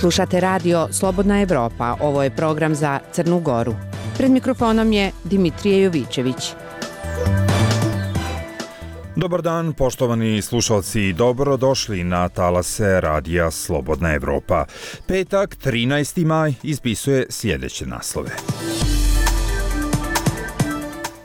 Slušate radio Slobodna Evropa, ovo je program za Crnu Goru. Pred mikrofonom je Dimitrije Jovićević. Dobar dan, poštovani slušalci, dobrodošli na talase radija Slobodna Evropa. Petak, 13. maj, ispisuje sljedeće naslove.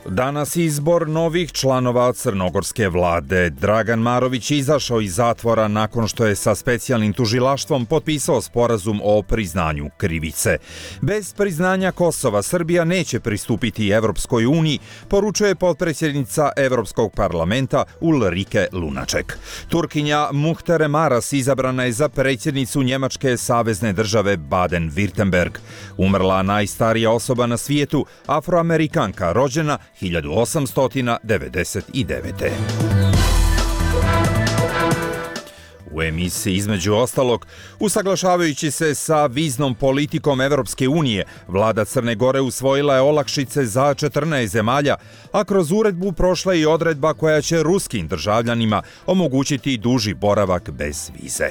Danas izbor novih članova crnogorske vlade. Dragan Marović izašao iz zatvora nakon što je sa specijalnim tužilaštvom potpisao sporazum o priznanju krivice. Bez priznanja Kosova Srbija neće pristupiti Evropskoj uniji, poručuje potpredsjednica Evropskog parlamenta Ulrike Lunaček. Turkinja Muhtere Maras izabrana je za predsjednicu Njemačke savezne države Baden-Württemberg. Umrla najstarija osoba na svijetu, Afroamerikanka, rođena 1899. U emisiji između ostalog, usaglašavajući se sa viznom politikom Evropske unije, vlada Crne Gore usvojila je olakšice za 14 zemalja, a kroz uredbu prošla i odredba koja će ruskim državljanima omogućiti duži boravak bez vize.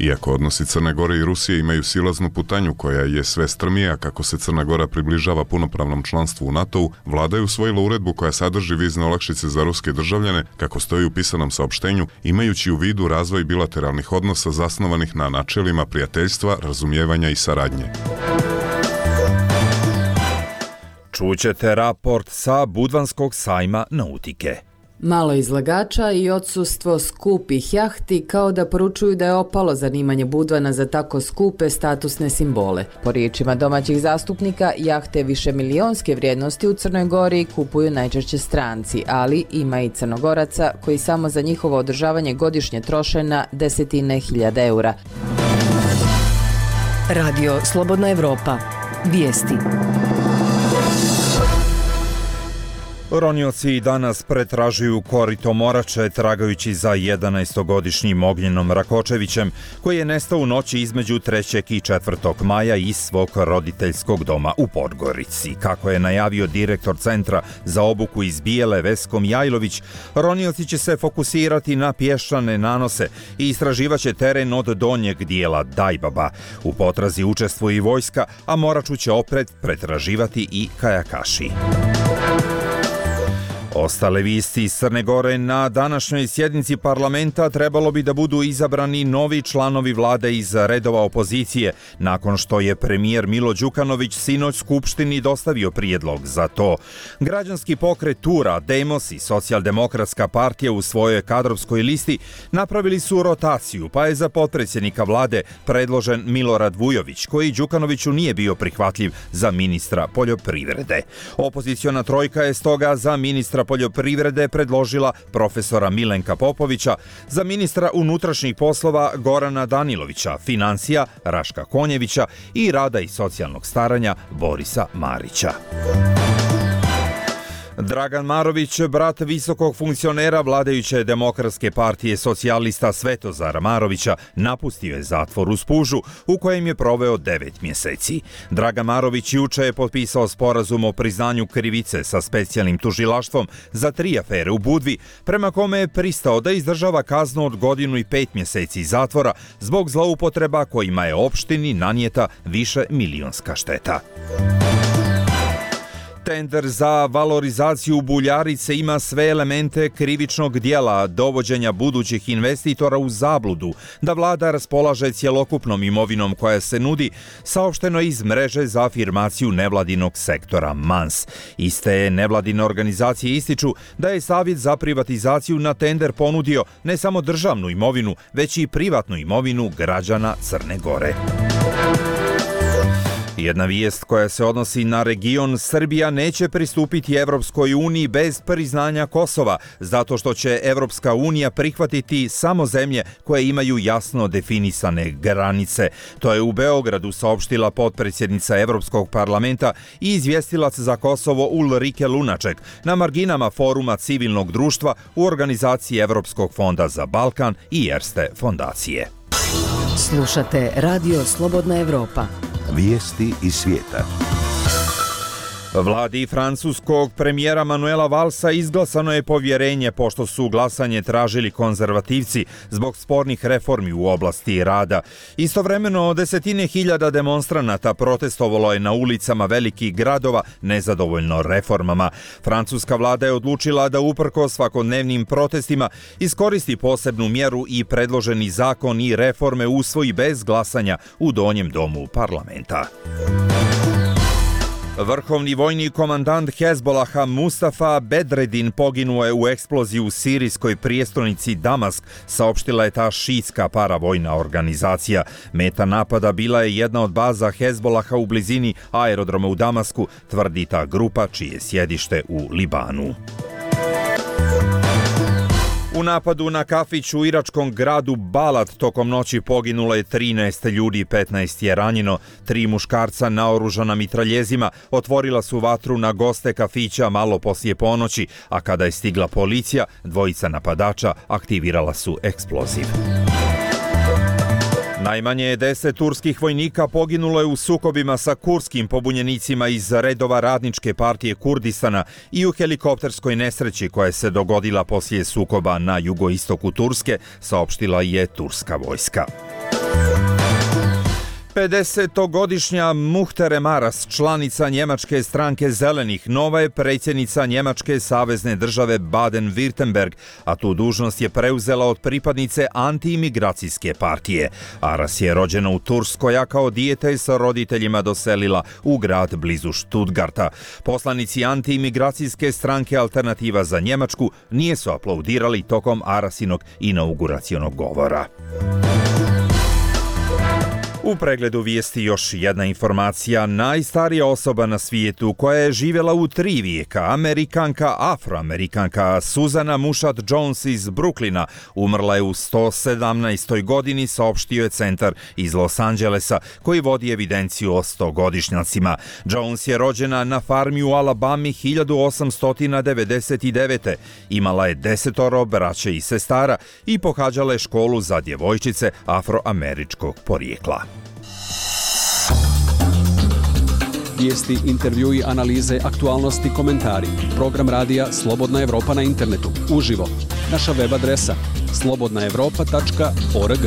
Iako odnosi Crne Gore i Rusije imaju silaznu putanju koja je sve strmija kako se Crna Gora približava punopravnom članstvu u NATO-u, vlada je usvojila uredbu koja sadrži vizne olakšice za ruske državljane, kako stoji u pisanom saopštenju, imajući u vidu razvoj bilateralnih odnosa zasnovanih na načelima prijateljstva, razumijevanja i saradnje. Čućete raport sa Budvanskog sajma nautike. Malo izlagača i odsustvo skupih jahti kao da poručuju da je opalo zanimanje Budvana za tako skupe statusne simbole. Po riječima domaćih zastupnika, jahte višemilionske vrijednosti u Crnoj Gori kupuju najčešće stranci, ali ima i Crnogoraca koji samo za njihovo održavanje godišnje troše na desetine hiljada eura. Radio Slobodna Evropa. Vijesti. Ronioci danas pretražuju korito Morače tragajući za 11-godišnjim Ognjenom Rakočevićem, koji je nestao u noći između 3. i 4. maja iz svog roditeljskog doma u Podgorici. Kako je najavio direktor Centra za obuku iz Bijele Vesko Mijajlović, ronioci će se fokusirati na pješčane nanose i istraživaće teren od donjeg dijela Dajbaba. U potrazi učestvuje i vojska, a Moraču će opet pretraživati i kajakaši. Ostale vijesti iz Crne Gore: na današnjoj sjednici parlamenta trebalo bi da budu izabrani novi članovi vlade iz redova opozicije, nakon što je premijer Milo Đukanović sinoć Skupštini dostavio prijedlog za to. Građanski pokret Tura, Demos i Socijaldemokratska partija u svojoj kadrovskoj listi napravili su rotaciju, pa je za potpredsjednika vlade predložen Milorad Vujović, koji Đukanoviću nije bio prihvatljiv za ministra poljoprivrede. Opoziciona trojka je stoga za ministra poljoprivrede predložila profesora Milenka Popovića, za ministra unutrašnjih poslova Gorana Danilovića, financija Raška Konjevića i rada i socijalnog staranja Borisa Marića. Dragan Marović, brat visokog funkcionera vladajuće Demokratske partije socijalista Svetozara Marovića, napustio je zatvor u Spužu u kojem je proveo 9 mjeseci. Dragan Marović juče je potpisao sporazum o priznanju krivice sa specijalnim tužilaštvom za 3 afere u Budvi, prema kome je pristao da izdržava kaznu od 1 godinu i 5 mjeseci zatvora zbog zloupotreba kojima je opštini nanijeta višemilionska šteta. Tender za valorizaciju Buljarice ima sve elemente krivičnog dijela dovođenja budućih investitora u zabludu da vlada raspolaže cjelokupnom imovinom koja se nudi, saopšteno iz mreže za afirmaciju nevladinog sektora MANS. Iste nevladine organizacije ističu da je Savjet za privatizaciju na tender ponudio ne samo državnu imovinu, već i privatnu imovinu građana Crne Gore. Jedna vijest koja se odnosi na region: Srbija neće pristupiti Evropskoj uniji bez priznanja Kosova, zato što će Evropska unija prihvatiti samo zemlje koje imaju jasno definisane granice. To je u Beogradu saopštila potpredsjednica Evropskog parlamenta i izvjestilac za Kosovo Ulrike Lunaček na marginama foruma civilnog društva u organizaciji Evropskog fonda za Balkan i Erste fondacije. Slušate Radio Slobodna Evropa. Vijesti iz svijeta. Vladi francuskog premijera Manuela Valsa izglasano je povjerenje pošto su glasanje tražili konzervativci zbog spornih reformi u oblasti rada. Istovremeno desetine hiljada demonstranata protestovalo je na ulicama velikih gradova nezadovoljno reformama. Francuska vlada je odlučila da uprkos svakodnevnim protestima iskoristi posebnu mjeru i predloženi zakon i reforme usvoji bez glasanja u donjem domu parlamenta. Vrhovni vojni komandant Hezbolaha Mustafa Bedredin poginuo je u eksploziji u sirijskoj prijestolnici Damask, saopštila je ta šiitska paravojna organizacija. Meta napada bila je jedna od baza Hezbolaha u blizini aerodroma u Damasku, tvrdi ta grupa čije je sjedište u Libanu. U napadu na kafić u iračkom gradu Balad tokom noći poginulo je 13 ljudi, 15 je ranjeno. 3 muškarca naoružana mitraljezima otvorila su vatru na goste kafića malo poslije ponoći, a kada je stigla policija, dvojica napadača aktivirala su eksploziv. Najmanje 10 turskih vojnika poginulo je u sukobima sa kurskim pobunjenicima iz redova Radničke partije Kurdistana i u helikopterskoj nesreći koja se dogodila poslije sukoba na jugoistoku Turske, saopštila je turska vojska. 50-godišnja Muhterem Aras, članica njemačke stranke Zelenih, nova je predsjednica njemačke savezne države Baden-Württemberg, a tu dužnost je preuzela od pripadnice antiimigracijske partije. Aras je rođena u Turskoj, a kao dijete sa roditeljima doselila u grad blizu Stuttgarta. Poslanici antiimigracijske stranke Alternativa za Njemačku nije su aplaudirali tokom Arasinog inauguracionog govora. U pregledu vijesti još jedna informacija. Najstarija osoba na svijetu koja je živjela u 3 vijeka, Amerikanka, Afroamerikanka Susana Mushat Jones iz Brooklyna, umrla je u 117. godini, saopštio je centar iz Los Angelesa koji vodi evidenciju o 100-godišnjacima. Jones je rođena na farmi u Alabami 1899. Imala je 10 braće i sestara i pohađala je školu za djevojčice afroameričkog porijekla. Vijesti, intervjui, analize, aktualnosti, komentari. Program radija Slobodna Evropa na internetu. Uživo. Naša web adresa slobodnaevropa.org.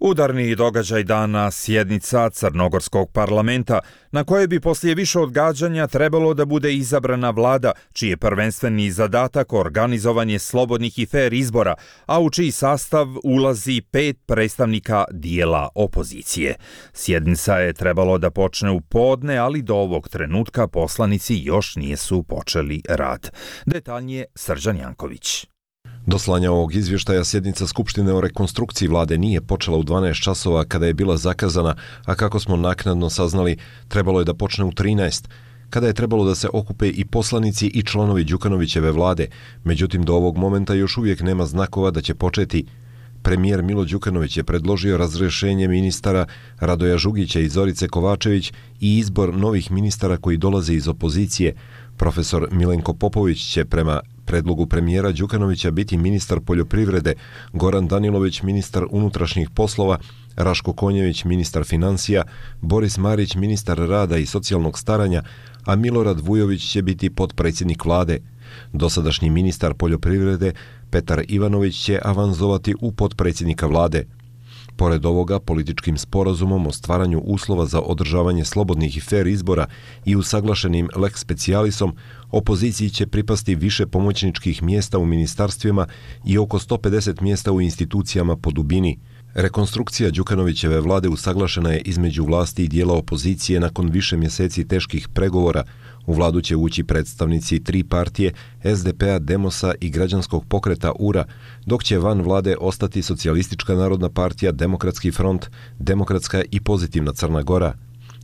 Udarni događaj dana, sjednica Crnogorskog parlamenta, na kojoj bi poslije više odgađanja trebalo da bude izabrana vlada, čiji je prvenstveni zadatak organizovanje slobodnih i fer izbora, a u čiji sastav ulazi 5 predstavnika dijela opozicije. Sjednica je trebalo da počne u podne, ali do ovog trenutka poslanici još nisu počeli rad. Detaljnije Srđan Janković. Do slanja ovog izvještaja sjednica Skupštine o rekonstrukciji vlade nije počela u 12 časova kada je bila zakazana, a kako smo naknadno saznali, trebalo je da počne u 13, kada je trebalo da se okupe i poslanici i članovi Đukanovićeve vlade. Međutim, do ovog momenta još uvijek nema znakova da će početi. Premijer Milo Đukanović je predložio razrješenje ministara Radoja Žugića i Zorice Kovačević i izbor novih ministara koji dolaze iz opozicije. Profesor Milenko Popović će prema predlogu premijera Đukanovića biti ministar poljoprivrede, Goran Danilović ministar unutrašnjih poslova, Raško Konjević ministar financija, Boris Marić ministar rada i socijalnog staranja, a Milorad Vujović će biti potpredsjednik vlade. Dosadašnji ministar poljoprivrede Petar Ivanović će avanzovati u potpredsjednika vlade. Pored ovoga, političkim sporazumom o stvaranju uslova za održavanje slobodnih i fer izbora i usaglašenim lex specialisom, opoziciji će pripasti više pomoćničkih mjesta u ministarstvima i oko 150 mjesta u institucijama po dubini. Rekonstrukcija Đukanovićeve vlade usaglašena je između vlasti i dijela opozicije nakon više mjeseci teških pregovora. U vladu će ući predstavnici 3 partije, SDP-a, Demosa i građanskog pokreta URA, dok će van vlade ostati Socijalistička narodna partija, Demokratski front, Demokratska i Pozitivna Crna Gora.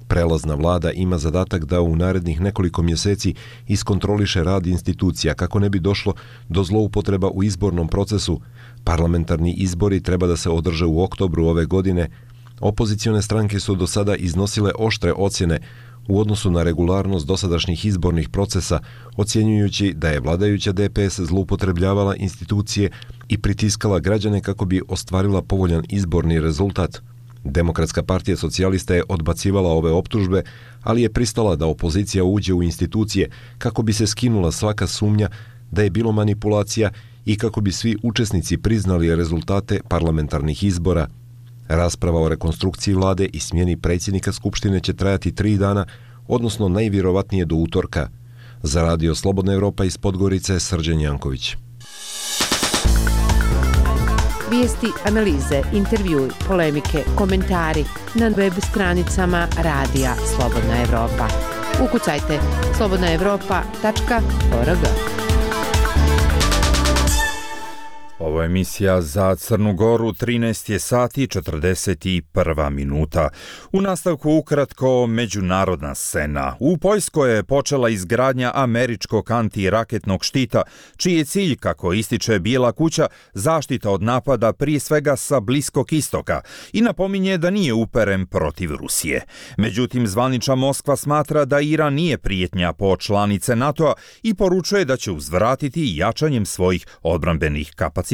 Prelazna vlada ima zadatak da u narednih nekoliko mjeseci iskontroliše rad institucija kako ne bi došlo do zloupotreba u izbornom procesu. Parlamentarni izbori treba da se održe u oktobru ove godine. Opozicione stranke su do sada iznosile oštre ocjene u odnosu na regularnost dosadašnjih izbornih procesa, ocjenjujući da je vladajuća DPS zloupotrebljavala institucije i pritiskala građane kako bi ostvarila povoljan izborni rezultat. Demokratska partija socijalista je odbacivala ove optužbe, ali je pristala da opozicija uđe u institucije kako bi se skinula svaka sumnja da je bilo manipulacija i kako bi svi učesnici priznali rezultate parlamentarnih izbora. Rasprava o rekonstrukciji vlade i smjeni predsjednika Skupštine će trajati 3 dana, odnosno najvjerovatnije do utorka. Za Radio Slobodna Evropa iz Podgorice, Srđan Janković. Vijesti, analize, intervjui, polemike, komentari na web stranicama Radija Slobodna Evropa. Ukucajte slobodnaevropa.org. Ovo je emisija za Crnu Goru, 13 je sati 41 minuta. U nastavku ukratko međunarodna scena. U Poljskoj je počela izgradnja američkog antiraketnog štita, čiji je cilj, kako ističe Bijela kuća, zaštita od napada prije svega sa Bliskog istoka i napominje da nije uperen protiv Rusije. Međutim, zvanična Moskva smatra da Iran nije prijetnja po članice NATO-a i poručuje da će uzvratiti jačanjem svojih odbrambenih kapaciteta.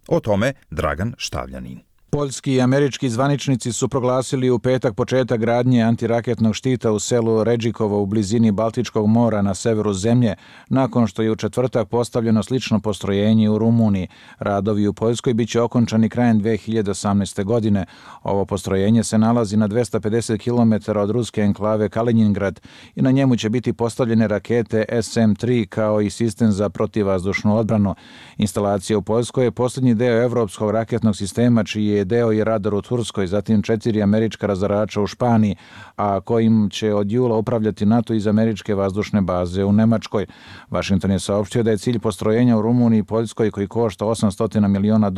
O tome Dragan Štavljanin. Poljski i američki zvaničnici su proglasili u petak početak gradnje antiraketnog štita u selu Redžikovo u blizini Baltičkog mora na severu zemlje, nakon što je u četvrtak postavljeno slično postrojenje u Rumuniji. Radovi u Poljskoj biće okončani krajem 2018. godine. Ovo postrojenje se nalazi na 250 km od ruske enklave Kaliningrad i na njemu će biti postavljene rakete SM-3 kao i sistem za protivvazdušnu odbranu. Instalacija u Poljskoj je posljednji deo evropskog raketnog sistema, čiji je deo i radar u Turskoj, zatim 4 američka razarača u Španiji, a kojim će od jula upravljati NATO iz američke vazdušne baze u Nemačkoj. Washington je saopštio da je cilj postrojenja u Rumuniji i Poljskoj, koji košta $800 miliona,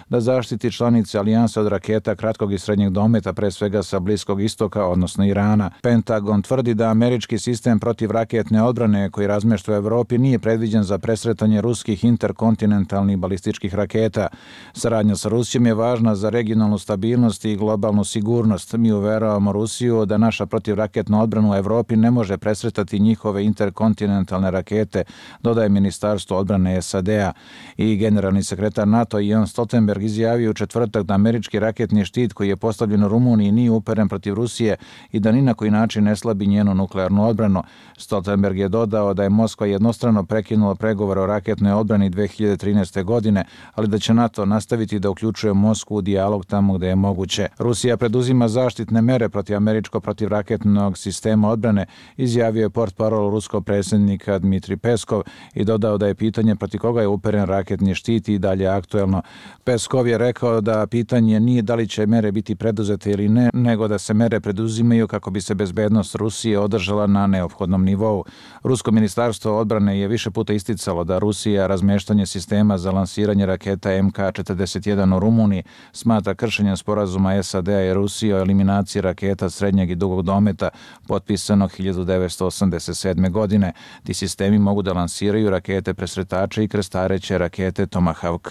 da zaštiti članice alijanse od raketa kratkog i srednjeg dometa, pre svega sa Bliskog istoka, odnosno Irana. Pentagon tvrdi da američki sistem protivraketne odbrane koji razmješta u Evropi nije predviđen za presretanje ruskih interkontinentalnih balističkih raketa. Saradnja sa Rusijom je važna za regionalnu stabilnost i globalnu sigurnost. Mi uveravamo Rusiju da naša protivraketna odbrana u Evropi ne može presretati njihove interkontinentalne rakete, dodaje Ministarstvo odbrane SAD-a. I generalni sekretar NATO Jens Stoltenberg izjavio u četvrtak da američki raketni štit koji je postavljen u Rumuniji nije uperen protiv Rusije i da ni na koji način ne slabi njenu nuklearnu odbranu. Stoltenberg je dodao da je Moskva jednostrano prekinula pregovore o raketnoj odbrani 2013. godine, ali da će NATO nastaviti da uključuje Moskvu u dijalog tamo gde je moguće. Rusija preduzima zaštitne mere protiv američkog protivraketnog sistema odbrane, izjavio je portparol ruskog predsjednika Dmitrij Peskov i dodao da je pitanje protiv koga je uperen raketni štit i dalje aktuelno. Peskov je rekao da pitanje nije da li će mere biti preduzete ili ne, nego da se mere preduzimaju kako bi se bezbednost Rusije održala na neophodnom nivou. Rusko ministarstvo odbrane je više puta isticalo da Rusija razmeštanje sistema za lansiranje raketa MK-41 u Rumuniji smatra kršenjem sporazuma SAD-a i Rusije o eliminaciji raketa srednjeg i dugog dometa potpisanog 1987. godine. Ti sistemi mogu da lansiraju rakete presretače i krstareće rakete Tomahawk.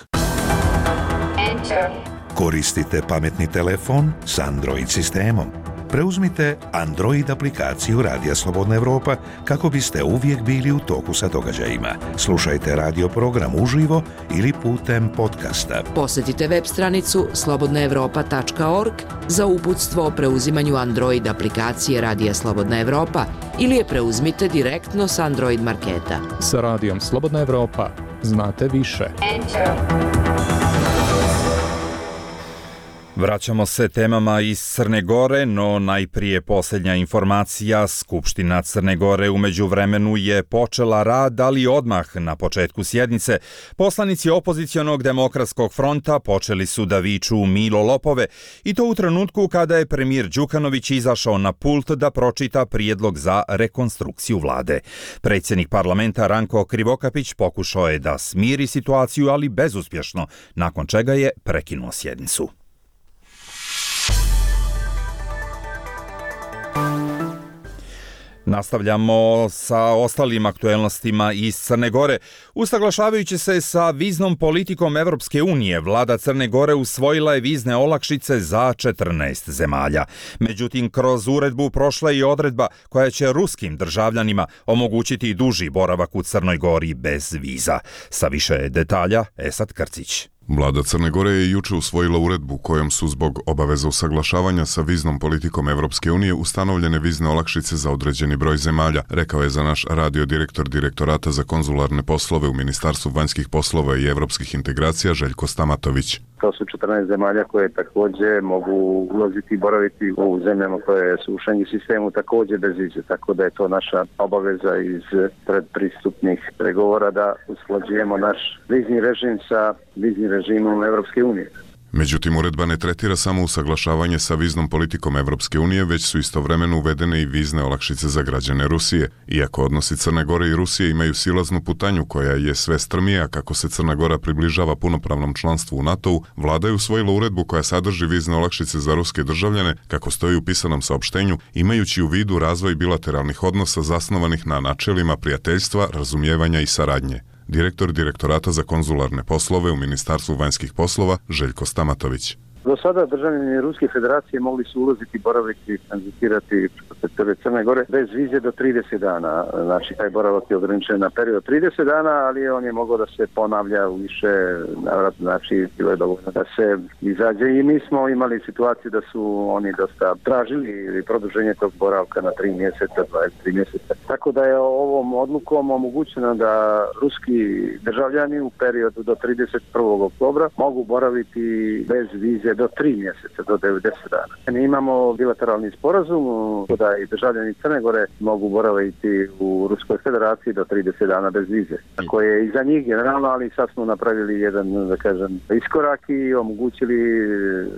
Koristite pametni telefon s Android sistemom. Preuzmite Android aplikaciju Radija Slobodna Evropa kako biste uvijek bili u toku sa događajima. Slušajte radio program uživo ili putem podcasta. Posjetite web stranicu slobodnaevropa.org za uputstvo o preuzimanju Android aplikacije Radija Slobodna Evropa ili je preuzmite direktno s Android marketa. Sa Radijom Slobodna Evropa znate više. Vraćamo se temama iz Crne Gore, no najprije posljednja informacija. Skupština Crne Gore u međuvremenu je počela rad, ali odmah na početku sjednice poslanici opozicionog demokratskog fronta počeli su da viču Milo lopove i to u trenutku kada je premijer Đukanović izašao na pult da pročita prijedlog za rekonstrukciju vlade. Predsjednik parlamenta Ranko Krivokapić pokušao je da smiri situaciju, ali bezuspješno, nakon čega je prekinuo sjednicu. Nastavljamo sa ostalim aktuelnostima iz Crne Gore. Usaglašavajući se sa viznom politikom Evropske unije, vlada Crne Gore usvojila je vizne olakšice za 14 zemalja. Međutim, kroz uredbu prošla je i odredba koja će ruskim državljanima omogućiti duži boravak u Crnoj Gori bez viza. Sa više detalja, Esad Krcić. Vlada Crne Gore je juče usvojila uredbu kojom su zbog obaveza usaglašavanja sa viznom politikom Evropske unije ustanovljene vizne olakšice za određeni broj zemalja, rekao je za naš radio direktor Direktorata za konzularne poslove u Ministarstvu vanjskih poslova i evropskih integracija Željko Stamatović. To su 14 zemalja koje također mogu ulaziti i boraviti u zemljama koje su u Schengen sistemu također bez vize, tako da je to naša obaveza iz predpristupnih pregovora da usklađujemo naš vizni režim sa viznim režimom Evropske unije. Međutim, uredba ne tretira samo usaglašavanje sa viznom politikom Evropske unije, već su istovremeno uvedene i vizne olakšice za građane Rusije. Iako odnosi Crne Gore i Rusije imaju silaznu putanju koja je sve strmija kako se Crna Gora približava punopravnom članstvu u NATO-u, vlada je usvojila uredbu koja sadrži vizne olakšice za ruske državljane, kako stoji u pisanom saopštenju, imajući u vidu razvoj bilateralnih odnosa zasnovanih na načelima prijateljstva, razumijevanja i saradnje. Direktor Direktorata za konzularne poslove u Ministarstvu vanjskih poslova Željko Stamatović. Do sada državljani Ruske federacije mogli su ulaziti, boraviti, tranzitirati preko Crne Gore bez vize do 30 dana. Znači, taj boravak je ograničen na period 30 dana, ali on je mogao da se ponavlja u više navrata, znači bilo je dovoljno da se izađe i mi smo imali situaciju da su oni dosta tražili produženje tog boravka na 3 mjeseca, 23 mjeseca. Tako da je ovom odlukom omogućeno da ruski državljani u periodu do 31. oktobra mogu boraviti bez vize do 3 mjeseca, do 90 dana. Mi imamo bilateralni sporazum da i državljani Crne Gore mogu boraviti u Ruskoj federaciji do 30 dana bez vize. Tako je i za njih generalno, ali sad smo napravili jedan, da kažem, iskorak i omogućili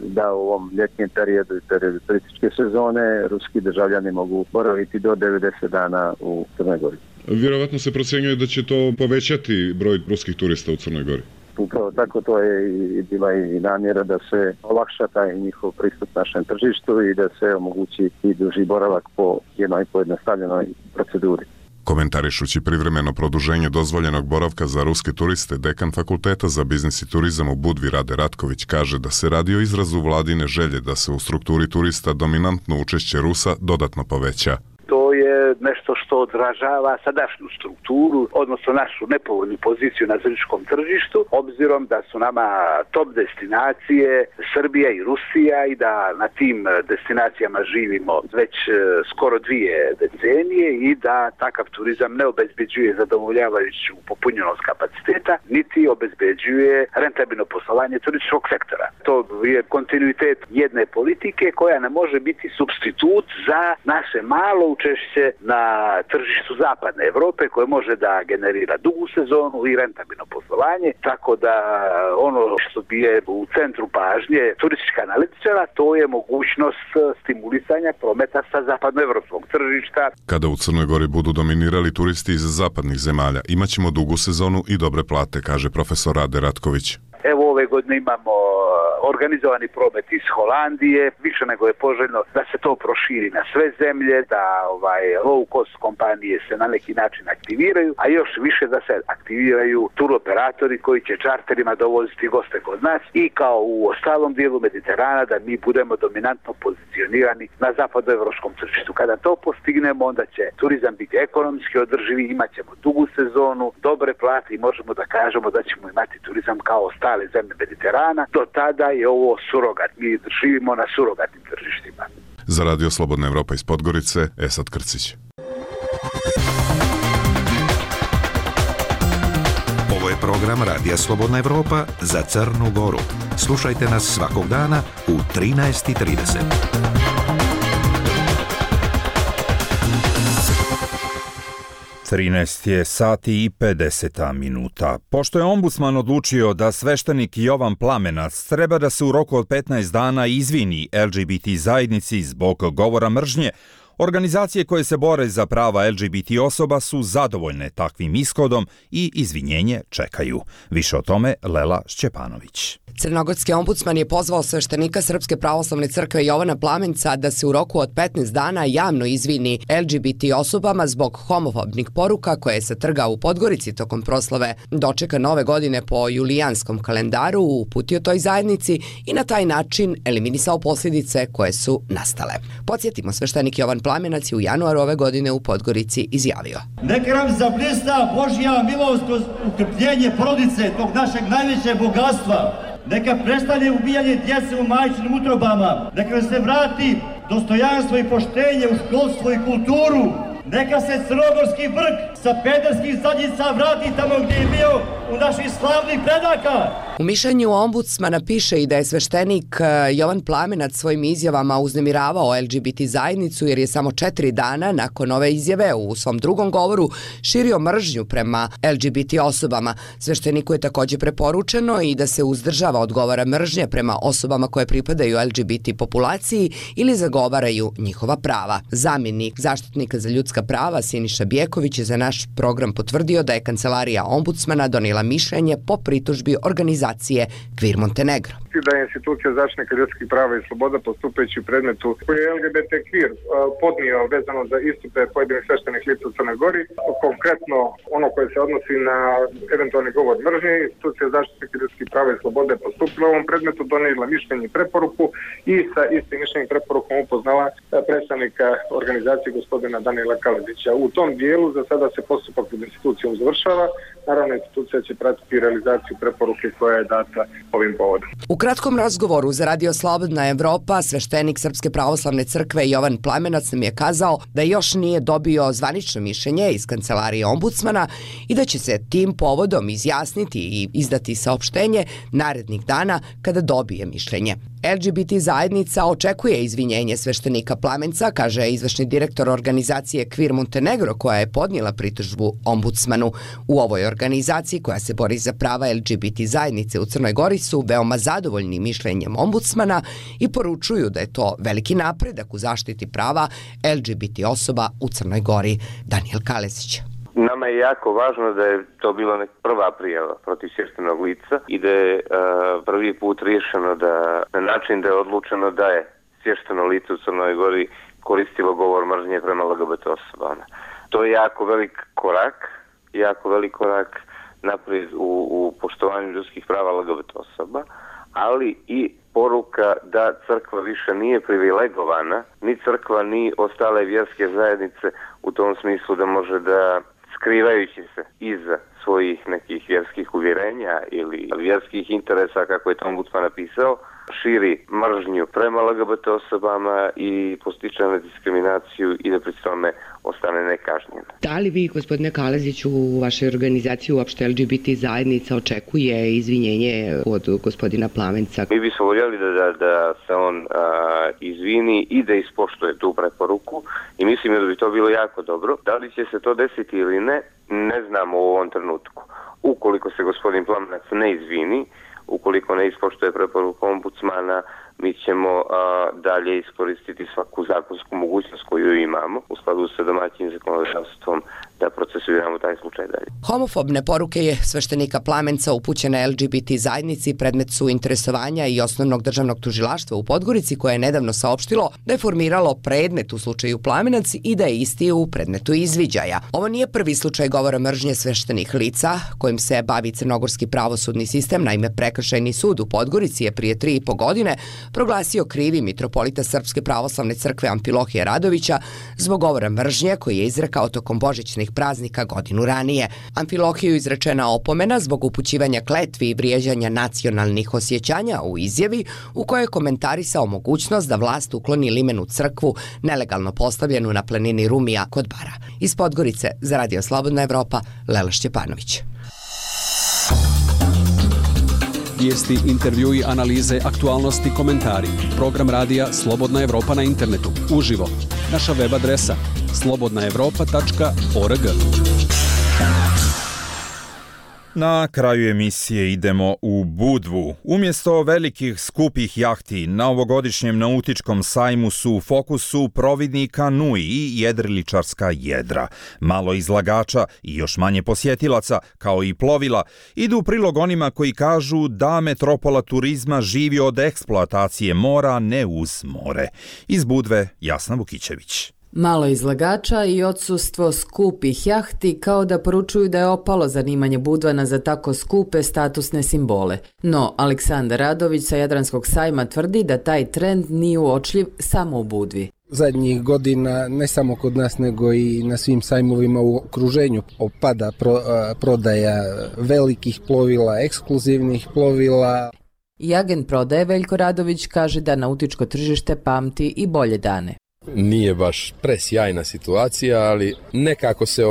da u ovom ljetnjem periodu i periodu turističke sezone ruski državljani mogu boraviti do 90 dana u Crnoj Gori. Vjerovatno se procjenjuje da će to povećati broj ruskih turista u Crnoj Gori. Upravo tako, to je i bila i namjera da se olakša taj njihov pristup našem tržištu i da se omogući i duži boravak po jednoj pojednostavljenoj proceduri. Komentarišući privremeno produženje dozvoljenog boravka za ruske turiste, dekan Fakulteta za biznis i turizam u Budvi Rade Ratković kaže da se radi o izrazu vladine želje da se u strukturi turista dominantno učešće Rusa dodatno poveća. To je nešto što odražava sadašnju strukturu, odnosno našu nepovoljnu poziciju na zajedničkom tržištu, obzirom da su nama top destinacije Srbija i Rusija i da na tim destinacijama živimo već skoro 2 decenije i da takav turizam ne obezbeđuje zadovoljavajuću popunjenost kapaciteta, niti obezbeđuje rentabilno poslovanje turističkog sektora. To je kontinuitet jedne politike koja ne može biti supstitut za naše malo učešće na tržištu zapadne Evrope koje može da generira dugu sezonu i rentabilno poslovanje, tako da ono što bi je u centru pažnje turistička analitičara, to je mogućnost stimulisanja prometa sa zapadnoevropskog tržišta. Kada u Crnoj Gori budu dominirali turisti iz zapadnih zemalja, imaćemo dugu sezonu i dobre plate, kaže profesor Rade Ratković. Evo ove godine imamo organizovani promet iz Holandije, više nego je poželjno da se to proširi na sve zemlje, da low cost kompanije se na neki način aktiviraju, a još više da se aktiviraju turoperatori koji će čarterima dovoziti goste kod nas i kao u ostalom dijelu Mediterana da mi budemo dominantno pozicionirani na zapadnoevropskom tržištu. Kada to postignemo, onda će turizam biti ekonomski održivi, imat ćemo dugu sezonu, dobre plate i možemo da kažemo da ćemo imati turizam kao ostale zemlje Mediterana. Do tada je ovo surogat. Mi živimo na surogatnim tržištima. Za Radio Slobodna Evropa iz Podgorice, Esad Krcić. Ovo je program Radija Slobodna Evropa za Crnu Goru. Slušajte nas svakog dana u 13:30. Je sati i 50 minuta. Pošto je ombudsman odlučio da sveštenik Jovan Plamenac treba da se u roku od 15 dana izvini LGBT zajednici zbog govora mržnje, organizacije koje se bore za prava LGBT osoba su zadovoljne takvim ishodom i izvinjenje čekaju. Više o tome Lela Šćepanović. Crnogorski ombudsman je pozvao sveštenika Srpske pravoslavne crkve Jovana Plamenca da se u roku od 15 dana javno izvini LGBT osobama zbog homofobnih poruka koje se trgao u Podgorici tokom proslave dočeka nove godine po julijanskom kalendaru, uputio toj zajednici i na taj način eliminisao posljedice koje su nastale. Podsjetimo, sveštenik Jovan Plamenac je u januaru ove godine u Podgorici izjavio: Neka nam zablista Božja milost kroz utrpljenje porodice, tog našeg najvećeg bogatstva. Neka prestane ubijanje djece u majčinim utrobama. Neka nam se vrati dostojanstvo i poštenje u školstvo i kulturu. Neka se crnogorski vrh sa pederskih zadnjica vrati tamo gdje je bio u naših slavnih predaka. U mišljenju ombudsmana piše i da je sveštenik Jovan Plamenac svojim izjavama uznemiravao LGBT zajednicu jer je samo 4 dana nakon ove izjave u svom drugom govoru širio mržnju prema LGBT osobama. Svešteniku je također preporučeno i da se uzdržava od govora mržnje prema osobama koje pripadaju LGBT populaciji ili zagovaraju njihova prava. Zamjenik zaštitnika za ljudska prava Siniša Bjeković je za naš program potvrdio da je kancelarija ombudsmana donijela mišljenje po pritužbi organizacije Queer Montenegro. Da je institucija zaštitnika ljudskih prava i sloboda postupajući u predmetu koji je LGBT Queer podnio vezano za istupe pojedinih sveštenih lica u Crnoj Gori, konkretno ono koje se odnosi na eventualni govor mržnje, institucija zaštitnika ljudskih prava i slobode postupila u ovom predmetu, donijela mišljenje i preporuku i sa istim mišljenjem i preporukom upoznala predstavnika organizacije gospodina Danila Kalezića. U tom dijelu za sada se postupak pred institucijom završava. Naravno, institucija će pratiti realizaciju preporuke koja je data ovim povodom. U kratkom razgovoru za Radio Slobodna Evropa sveštenik Srpske pravoslavne crkve Jovan Plamenac nam je kazao da još nije dobio zvanično mišljenje iz kancelarije ombudsmana i da će se tim povodom izjasniti i izdati saopštenje narednih dana kada dobije mišljenje. LGBT zajednica očekuje izvinjenje sveštenika Plamenca, kaže izvršni direktor organizacije Queer Montenegro koja je podnijela pritužbu ombudsmanu. U ovoj organizaciji koja se bori za prava LGBT zajednice u Crnoj Gori su veoma zadovoljni mišljenjem ombudsmana i poručuju da je to veliki napredak u zaštiti prava LGBT osoba u Crnoj Gori. Daniel Kalezić. Nama je jako važno da je to bila prva prijava protiv sveštenog lica i da je prvi put riješeno da na način da je odlučeno da je svješteno lice u Crnoj Gori koristilo govor mržnje prema LGBT osobama. To je jako velik korak naprijed u poštovanju ljudskih prava LGBT osoba, ali i poruka da crkva više nije privilegovana, ni crkva ni ostale vjerske zajednice u tom smislu da može da skrivajući se iza svojih nekih vjerskih uvjerenja ili vjerskih interesa, kako je to ombudsman napisao, širi mržnju prema LGBT osobama i postiče na diskriminaciju i da pri tome ostane nekažnjen. Da li vi, gospodine Kaleziću, u vašoj organizaciji uopšte LGBT zajednica očekuje izvinjenje od gospodina Plamenca? Mi bismo voljeli da se on izvini i da ispoštuje tu preporuku i mislim da bi to bilo jako dobro. Da li će se to desiti ili ne znamo u ovom trenutku. Ukoliko se gospodin Plamenac ne izvini, ukoliko ne ispoštuje preporuku ombudsmana, mi ćemo dalje iskoristiti svaku zakonsku mogućnost koju imamo u skladu sa domaćim zakonodavstvom da procesuiramo taj slučaj dalje. Homofobne poruke je sveštenika Plamenca upućene LGBT zajednici predmet su interesovanja i Osnovnog državnog tužilaštva u Podgorici koje je nedavno saopštilo da je formiralo predmet u slučaju Plamenac i da je isti u predmetu izviđaja. Ovo nije prvi slučaj govora mržnje sveštenih lica kojim se bavi crnogorski pravosudni sistem. Naime, Prekršajni sud u Podgorici je prije 3,5 godine proglasio krivim mitropolita Srpske pravoslavne crkve Amfilohija Radovića zbog govora mržnje koji je izrekao tokom božićnih praznika godinu ranije. Amfilohiju izrečena opomena zbog upućivanja kletvi i vrijeđanja nacionalnih osjećanja u izjavi u kojoj je komentarisao mogućnost da vlast ukloni limenu crkvu nelegalno postavljenu na planini Rumija kod Bara. Iz Podgorice za Radio Slobodna Evropa, Lela Šćepanović. Vijesti, intervjui, analize, aktualnosti, komentari. Program radija Slobodna Evropa na internetu. Uživo. Naša web adresa slobodnaevropa.org. Na kraju emisije idemo u Budvu. Umjesto velikih skupih jahti, na ovogodišnjem nautičkom sajmu su u fokusu providni kanui i jedriličarska jedra. Malo izlagača i još manje posjetilaca, kao i plovila, idu u prilog onima koji kažu da metropola turizma živi od eksploatacije mora, ne uz more. Iz Budve, Jasna Vukićević. Malo izlagača i odsustvo skupih jahti kao da poručuju da je opalo zanimanje Budvana za tako skupe statusne simbole. No, Aleksandar Radović sa Jadranskog sajma tvrdi da taj trend nije uočljiv samo u Budvi. Zadnjih godina, ne samo kod nas, nego i na svim sajmovima u okruženju opada prodaja velikih plovila, ekskluzivnih plovila. I agent prodaje Veljko Radović kaže da nautičko tržište pamti i bolje dane. Nije baš presjajna situacija, ali nekako se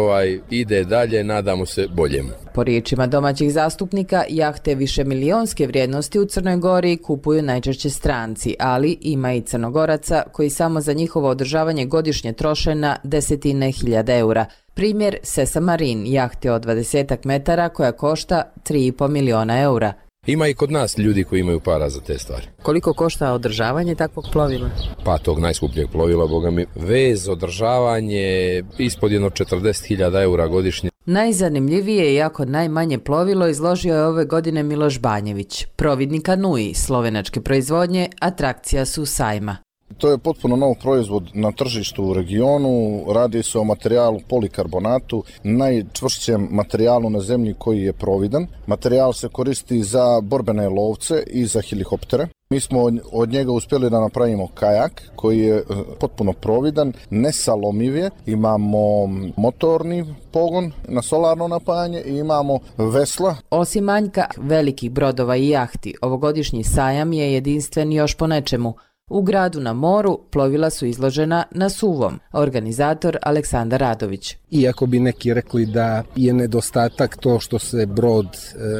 ide dalje, nadamo se boljemu. Po riječima domaćih zastupnika, jahte višemilionske vrijednosti u Crnoj Gori kupuju najčešće stranci, ali ima i Crnogoraca koji samo za njihovo održavanje godišnje troše na desetine hiljada eura. Primjer Sesa Marine, jahte od 20 metara koja košta 3,5 miliona eura. Ima i kod nas ljudi koji imaju para za te stvari. Koliko košta održavanje takvog plovila? Pa tog najskupljeg plovila, boga mi, vez, održavanje, ispod jedno 40.000 eura godišnje. Najzanimljivije i jako najmanje plovilo izložio je ove godine Miloš Banjević, providnik Anui, slovenačke proizvodnje, atrakcija su sajma. To je potpuno nov proizvod na tržištu u regionu, radi se o materijalu polikarbonatu, najčvršćem materijalu na zemlji koji je providan. Materijal se koristi za borbene lovce i za helikoptere. Mi smo od njega uspjeli da napravimo kajak koji je potpuno providan, nesalomiv je, imamo motorni pogon na solarno napajanje i imamo vesla. Osim manjka velikih brodova i jahti, ovogodišnji sajam je jedinstven još po nečemu. U gradu na moru plovila su izložena na suvom, organizator Aleksandar Radović. Iako bi neki rekli da je nedostatak to što se brod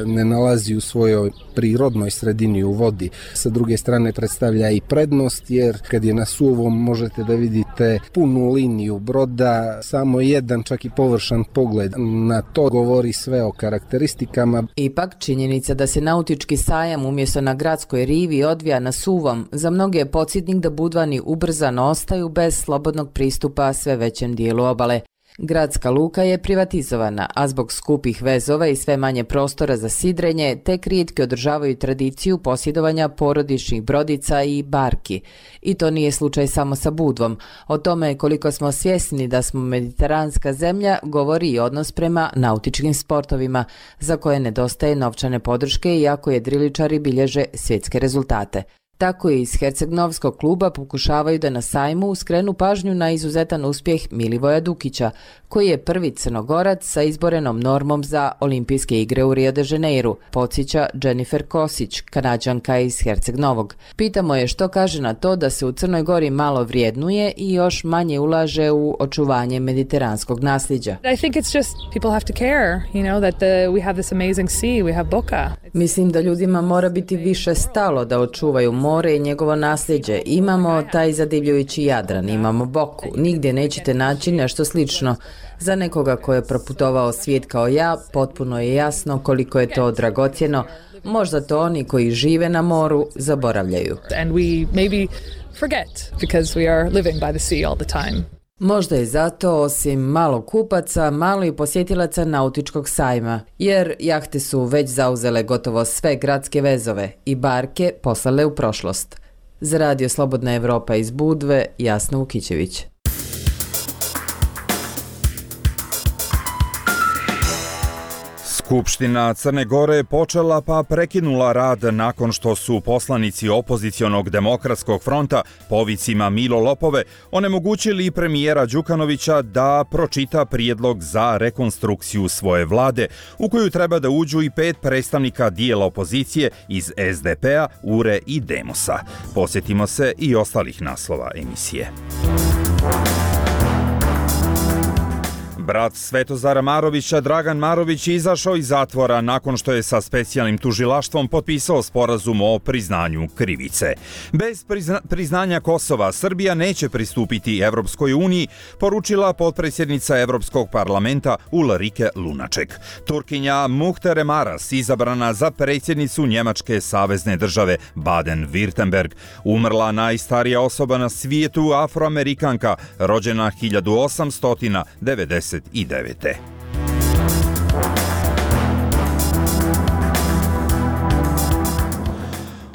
ne nalazi u svojoj prirodnoj sredini u vodi, sa druge strane predstavlja i prednost, jer kad je na suvom možete da vidite punu liniju broda, samo jedan čak i površan pogled na to govori sve o karakteristikama. Ipak činjenica da se nautički sajam umjesto na gradskoj rivi odvija na suvom, za mnoge je podsjetnik da Budvani ubrzano ostaju bez slobodnog pristupa sve većem dijelu obale. Gradska luka je privatizovana, a zbog skupih vezova i sve manje prostora za sidrenje, tek rijetki održavaju tradiciju posjedovanja porodičnih brodica i barki. I to nije slučaj samo sa Budvom. O tome koliko smo svjesni da smo mediteranska zemlja govori i odnos prema nautičkim sportovima, za koje nedostaje novčane podrške iako jedriličari bilježe svjetske rezultate. Tako i iz Herceg-Novskog kluba pokušavaju da na sajmu skrenu pažnju na izuzetan uspjeh Milivoja Dukića, koji je prvi Crnogorac sa izborenom normom za olimpijske igre u Rio de Janeiru, podsjeća Jennifer Kosić, Kanađanka iz Herceg-Novog. Pitamo je što kaže na to da se u Crnoj Gori malo vrijednuje i još manje ulaže u očuvanje mediteranskog nasljeđa. Mislim da ljudima mora biti više stalo da očuvaju more i njegovo nasljeđe. Imamo taj zadivljujući Jadran, imamo Boku. Nigdje nećete naći nešto slično. Za nekoga ko je proputovao svijet kao ja, potpuno je jasno koliko je to dragocjeno. Možda to oni koji žive na moru zaboravljaju. Možda je zato, osim malo kupaca, malo i posjetilaca nautičkog sajma, jer jahte su već zauzele gotovo sve gradske vezove i barke poslale u prošlost. Za Radio Slobodna Evropa iz Budve, Jasna Vukićević. Skupština Crne Gore počela pa prekinula rad nakon što su poslanici opozicionog demokratskog fronta po vicima Milo Lopove onemogućili premijera Đukanovića da pročita prijedlog za rekonstrukciju svoje vlade, u koju treba da uđu i 5 predstavnika dijela opozicije iz SDP-a, URE i Demosa. Posjetimo se i ostalih naslova emisije. Brat Svetozara Marovića, Dragan Marović, izašao iz zatvora nakon što je sa specijalnim tužilaštvom potpisao sporazum o priznanju krivice. Bez priznanja Kosova Srbija neće pristupiti Evropskoj uniji, poručila potpredsjednica Evropskog parlamenta Ulrike Lunaček. Turkinja Muhtere Maras, izabrana za predsjednicu Njemačke savezne države Baden-Württemberg, umrla najstarija osoba na svijetu, Afroamerikanka, rođena 1899.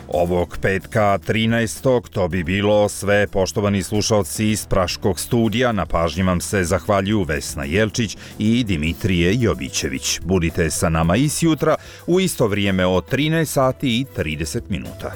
Ovog petka 13. to bi bilo sve, poštovani slušalci iz Praškog studija. Na pažnji vam se zahvaljuju Vesna Jelčić i Dimitrije Jovićević. Budite sa nama i sjutra u isto vrijeme od 13 sati i 30 minuta.